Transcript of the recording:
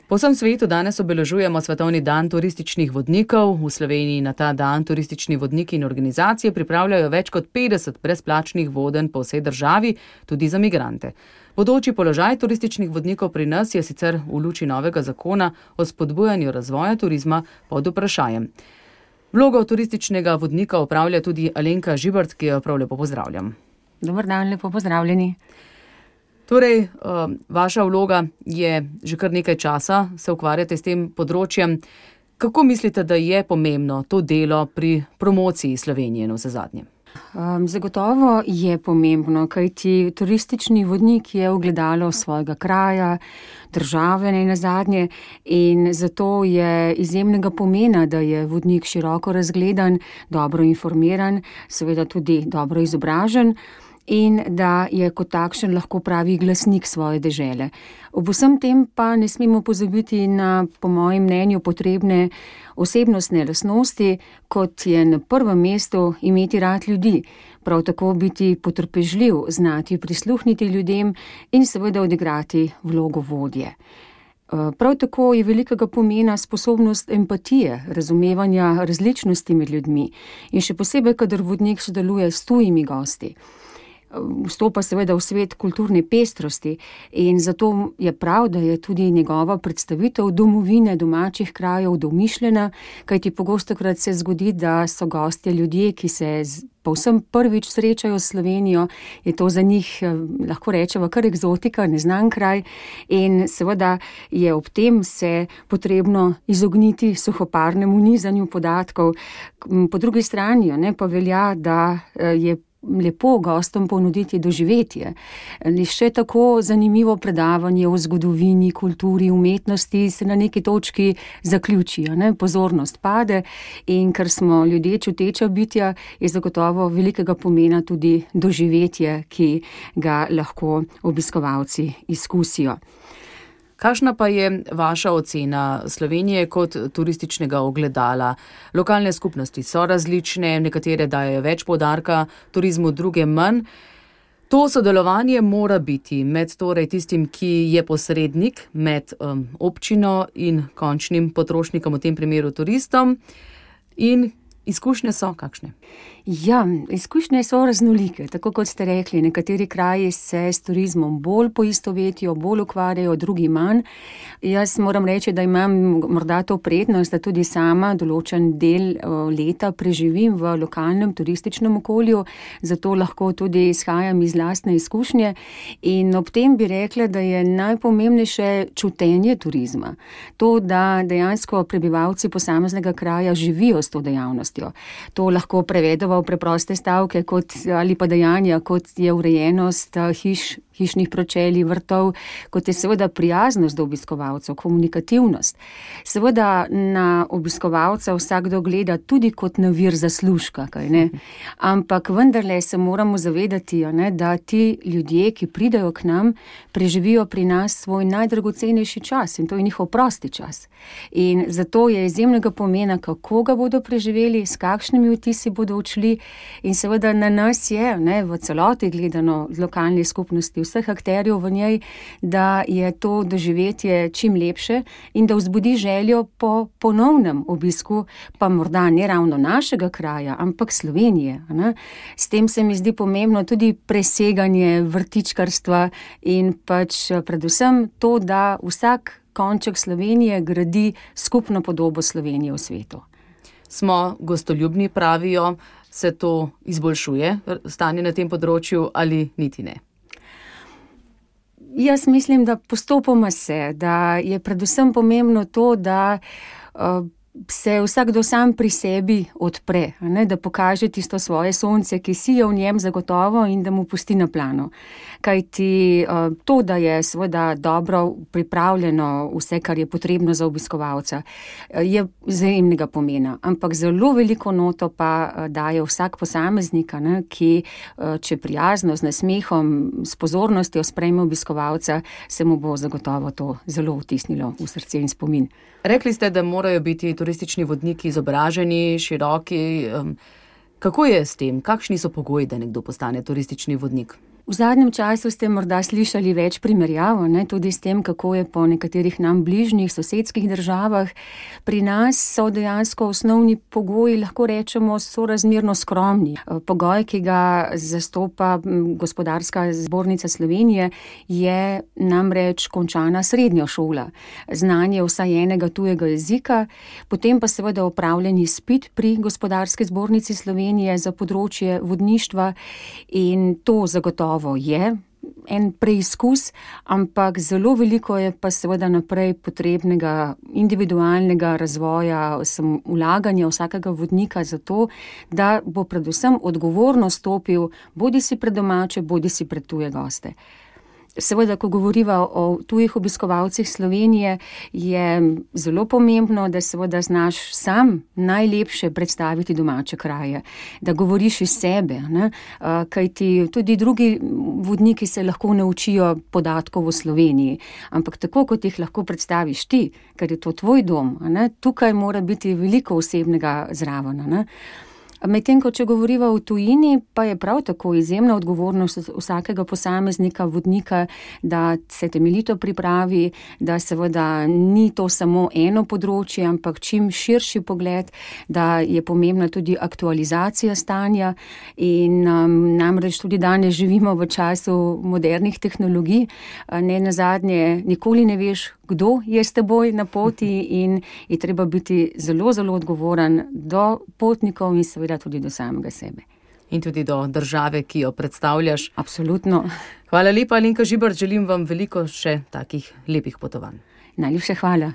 Po vsem svetu danes obeležujemo Svetovni dan turističnih vodnikov. V Sloveniji na ta dan turistični vodniki in organizacije pripravljajo več kot 50 brezplačnih vodenj po vsej državi, tudi za migrante. Bodoči položaj turističnih vodnikov pri nas je sicer v luči novega zakona o spodbujanju razvoja turizma pod vprašajem. Vlogo turističnega vodnika opravlja tudi Alenka Žibert, ki jo prav lepo pozdravljam. Dober dan, lepo pozdravljeni. Torej, vaša vloga je že kar nekaj časa, se ukvarjate s tem področjem. Kako mislite, da je pomembno to delo pri promociji Slovenije na vse zadnje? Zagotovo je pomembno, kajti turistični vodnik je ogledalo svojega kraja, države nazadnje, in zato je izjemnega pomena, da je vodnik široko razgledan, dobro informiran, seveda tudi dobro izobražen, in da je kot takšen lahko pravi glasnik svoje dežele. Ob vsem tem pa ne smemo pozabiti na, po mojem mnenju, potrebne osebnostne lastnosti, kot je na prvem mestu imeti rad ljudi, prav tako biti potrpežljiv, znati prisluhniti ljudem in seveda odigrati vlogo vodje. Prav tako je velikega pomena sposobnost empatije, razumevanja različnosti med ljudmi in še posebej, kadar vodnik sodeluje s tujimi gosti. Vstopa seveda v svet kulturne pestrosti in zato je prav, da je tudi njegova predstavitev domovine, domačih krajev domišljena, kajti pogostokrat se zgodi, da so gostje ljudje, ki se povsem prvič srečajo s Slovenijo, je to za njih, lahko rečemo, kar eksotika, neznan kraj, in seveda je ob tem se potrebno izogniti suhoparnemu nizanju podatkov. Po drugi strani pa velja, da je lepo gostom ponuditi doživetje. Še tako zanimivo predavanje o zgodovini, kulturi, umetnosti se na neki točki zaključi, pozornost pade, in ker smo ljudje čuteča bitja, je zagotovo velikega pomena tudi doživetje, ki ga lahko obiskovalci izkusijo. Kakšna pa je vaša ocena Slovenije kot turističnega ogledala? Lokalne skupnosti so različne, nekatere dajejo več poudarka turizmu, druge manj. To sodelovanje mora biti med torej tistim, ki je posrednik med občino in končnim potrošnikom, v tem primeru turistom. In izkušnje so kakšne? Ja, izkušnje so raznolike, tako kot ste rekli. Nekateri kraji se s turizmom bolj poistovetijo, bolj ukvarjajo, drugi manj. Jaz moram reči, da imam morda to prednost, da tudi sama določen del leta preživim v lokalnem turističnem okolju, zato lahko tudi izhajam iz lastne izkušnje, in ob tem bi rekla, da je najpomembnejše čutenje turizma. To, da dejansko prebivalci posameznega kraja živijo s to dejavnostjo. To lahko prevedemo v preproste stavke ali pa dejanja, kot je urejenost hišnih pročelij, vrtov, kot je seveda prijaznost do obiskovalcev, komunikativnost. Seveda na obiskovalca vsakdo gleda tudi kot na vir zaslužka, kajne? Ampak vendarle se moramo zavedati, da ti ljudje, ki pridejo k nam, preživijo pri nas svoj najdragocenejši čas, in to je njihov prosti čas. In zato je izjemnega pomena, kako ga bodo preživeli, s kakšnimi vtisi bodo odšli, in seveda na nas je, v celoti gledano lokalne skupnosti, vseh akterjev v njej, da je to doživetje čim lepše in da vzbudi željo po ponovnem obisku, pa morda ne ravno našega kraja, ampak Slovenije. S tem se mi zdi pomembno tudi preseganje vrtičkarstva in predvsem to, da vsak konček Slovenije gradi skupno podobo Slovenije v svetu. Smo gostoljubni, pravijo, se to izboljšuje, stanje na tem področju, ali niti ne? Jaz mislim, da postopoma se, da je predvsem pomembno to, da se vsakdo sam pri sebi odpre, da pokaže tisto svoje sonce, ki sije v njem zagotovo, in da mu pusti na plano. Kajti to, da je seveda dobro pripravljeno vse, kar je potrebno za obiskovalca, je izjemnega pomena. Ampak zelo veliko noto pa daje vsak posameznik, ki, če prijazno, z nasmehom, s pozornostjo sprejme obiskovalca, se mu bo zagotovo to zelo vtisnilo v srce in spomin. Rekli ste, da morajo biti turistični vodniki izobraženi, široki. Kako je s tem? Kakšni so pogoji, da nekdo postane turistični vodnik? V zadnjem času ste morda slišali več primerjav, tudi s tem, kako je po nekaterih nam bližnjih sosedskih državah. Pri nas so dejansko osnovni pogoji, lahko rečemo, sorazmerno skromni. Pogoj, ki ga zastopa Gospodarska zbornica Slovenije, je namreč končana srednja šola, znanje vsaj enega tujega jezika, potem pa seveda opravljen izpit pri Gospodarski zbornici Slovenije za področje vodništva in to zagotovo je en preizkus, ampak zelo veliko je pa seveda naprej potrebnega individualnega razvoja, vlaganja vsakega vodnika za to, da bo predvsem odgovorno stopil bodisi pred domače, bodisi pred tuje goste. Seveda, ko govoriva o tujih obiskovalcih Slovenije, je zelo pomembno, da seveda znaš sam najlepše predstaviti domače kraje, da govoriš iz sebe, kajti tudi drugi vodniki se lahko naučijo podatkov o Sloveniji, ampak tako, kot jih lahko predstaviš ti, ker je to tvoj dom, tukaj mora biti veliko osebnega zraven. Medtem ko če govoriva o tujini, pa je prav tako izjemna odgovornost vsakega posameznika, vodnika, da se temeljito pripravi, da seveda ni to samo eno področje, ampak čim širši pogled, da je pomembna tudi aktualizacija stanja in namreč tudi danes živimo v času modernih tehnologij, ne nazadnje nikoli ne veš, kdo je s teboj na poti in je treba biti zelo, zelo odgovoren do potnikov in seveda tudi do samega sebe. In tudi do države, ki jo predstavljaš. Absolutno. Hvala lepa, Alenka Žibert, želim vam veliko še takih lepih potovanj. Najlepša hvala.